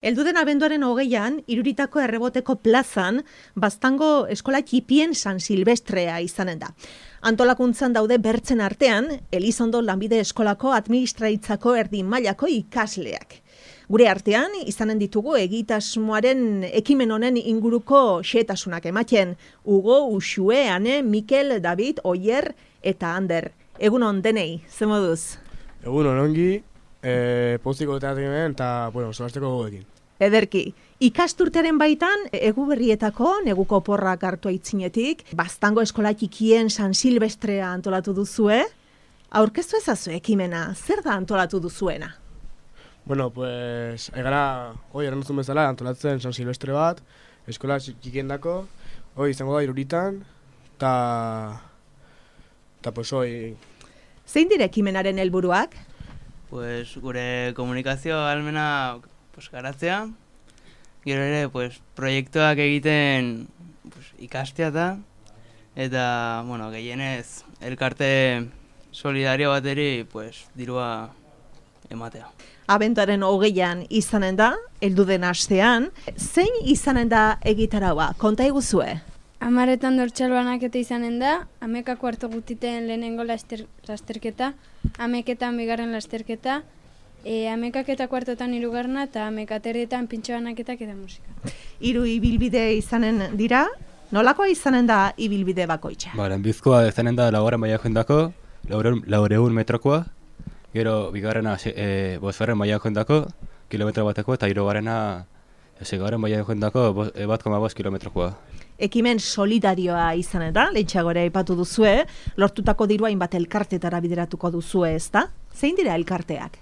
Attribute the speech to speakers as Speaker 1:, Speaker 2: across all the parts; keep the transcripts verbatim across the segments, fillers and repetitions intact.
Speaker 1: Elduden abenduaren hogeian, Iruritako Erreboteko plazan, Baztango eskola txipien San Silvestrea izanen da. Antolakuntzan daude bertzen artean, Elizondo Lanbide Eskolako administraitzako erdi mailako ikasleak. Gure artean, izanen ditugu egitasmoaren ekimen honen inguruko xehetasunak ematen. Hugo, Uxue, Ane, Mikel, David, Oier eta Ander. Egunon denei, ze moduz?
Speaker 2: Egunon ongi, e, postiko eta eta, bueno, solasteko gogoekin.
Speaker 1: Ederki, ikasturtearen baitan, egu berrietako, neguko porrak hartu aitzinetik, Baztango eskola txikien San Silvestrea antolatu duzue. Aurkeztu ezazu ekimena, zer da antolatu duzuena?
Speaker 2: Bueno, pues, egara, hoi, errantzun bezala, antolatzen San Silvestre bat, eskola txikien dako, hoi, izango da Iruritan, eta, eta, pues, hoi...
Speaker 1: Zein dire ekimenaren helburuak?
Speaker 3: Pues, gure komunikazio almena pues, garatzea, gero ere pues, proiektuak egiten pues, ikastea da, eta, bueno, gehienez, elkarte solidario bateri pues, dirua ematea.
Speaker 1: Abenduaren hogeian izanen da, helduden astean, zein izanen da egitaraua? Konta eguzue?
Speaker 4: Amaretan dortxalbanak eta izanen da, amekako hartu gutiten lehenengo laster, lasterketa, ameketan bigarren lasterketa, e, amekak eta kuartotan hirugarrena eta amekaterretan pintxo banaketak eta musika.
Speaker 1: Hiru ibilbide izanen dira, nolakoa izanen da ibilbide bakoitza?
Speaker 5: Ba, lehenbizkoa izanen da laugarren maila joendako, laureun metrokoa, gero bigarrena e, bosgarren maila joendako, kilometro bateko, eta hirugarrena seigarren maila joendako e, bat koma bost kilometrokoa.
Speaker 1: Ekimen solidarioa izanen da, lehentxagore aipatu duzue, lortutako dirua hainbat elkartetara bideratuko duzue, ez da? Zein dira elkarteak?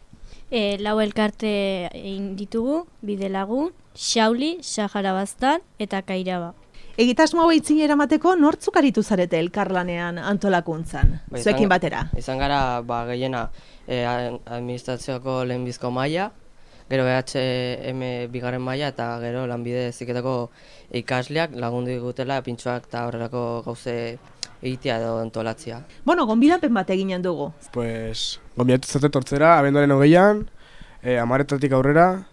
Speaker 6: E, lau elkarte egin ditugu, Bidelagun, Xauli, Sahara Baztan eta Kairaba.
Speaker 1: Egitasmo hau eitzin eramateko nortzuk aritu zarete elkarlanean antolakuntzan, ba, zuekin batera?
Speaker 7: Izan gara, ba, gehiena eh, administrazioako lehenbizko maila, gero B H M bigarren maila eta gero lanbide heziketako ikasleak lagundu digutela pintxoak eta horrelako gauze egitea edo antolatzea.
Speaker 1: Bueno, gonbidapen bat eginen dugu.
Speaker 2: Pues, gonbidatu zate tortzera, abenduaren hogeian, e, amaretatik aurrera,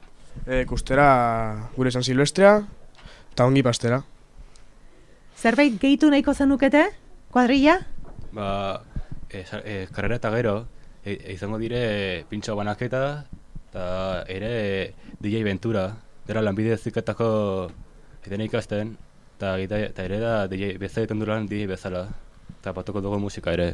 Speaker 2: e, kustera gure San Silvestrea, eta ongi pastera.
Speaker 1: Zerbait gehitu nahiko zenukete, kuadrilla?
Speaker 5: Ba, e, e, karrera eta gero, e, e, izango dire pintxo banaketa, eta ere D J Ventura, dira lanbide heziketako eten ikasten, eta ere da D J bezala egiten duran D J bezala, eta batuko dugu musika ere.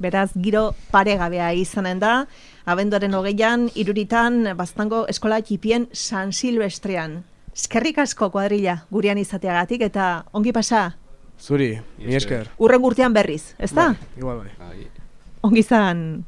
Speaker 1: Beraz, giro paregabea izanen da, abenduaren hogeian, Iruritan, Baztango eskola txipien San Silvestrean. Eskerrik asko kuadrilla gurean izateagatik eta ongi pasa?
Speaker 2: Zuri, mi esker.
Speaker 1: Urren urtean berriz, ez da?
Speaker 2: Bai, igual bai.
Speaker 1: Ongi zan.